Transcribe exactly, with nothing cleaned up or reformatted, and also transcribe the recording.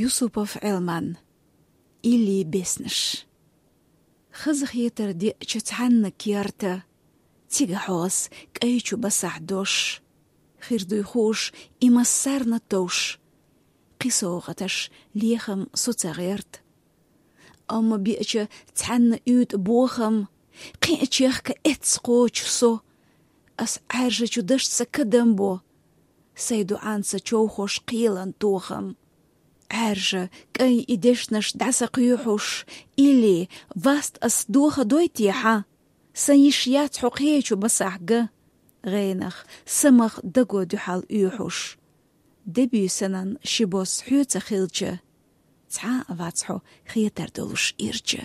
Юсупов Ӏелман. Илли беснаш. Хаза хетар деъча цхьанна керта, цига хьоас кӀай чу басахь дош. Хир дуй хууш, и массарна товш. Кхи совгӀаташ лехам со ца гӀерт. Амма биъча цхьанна уьйтӀа бохам, кхин а чехка эццахочу со. Ас Ӏаьржачу дашца кадам бо, сай дуӀанца човхош кхелан тохам. Ӏаьржа, кӀай и дешнаш дӀасакхоьхьуш, илли, васт ас доха дой те хьан? Сан йиш яц хьо кхечу басахь ган, гӀенах, самах даго дуьхьал оьхьуш. Дебий санан ши бос хьоьца хилча, цхьа а вац хьо хетар долуш ирча.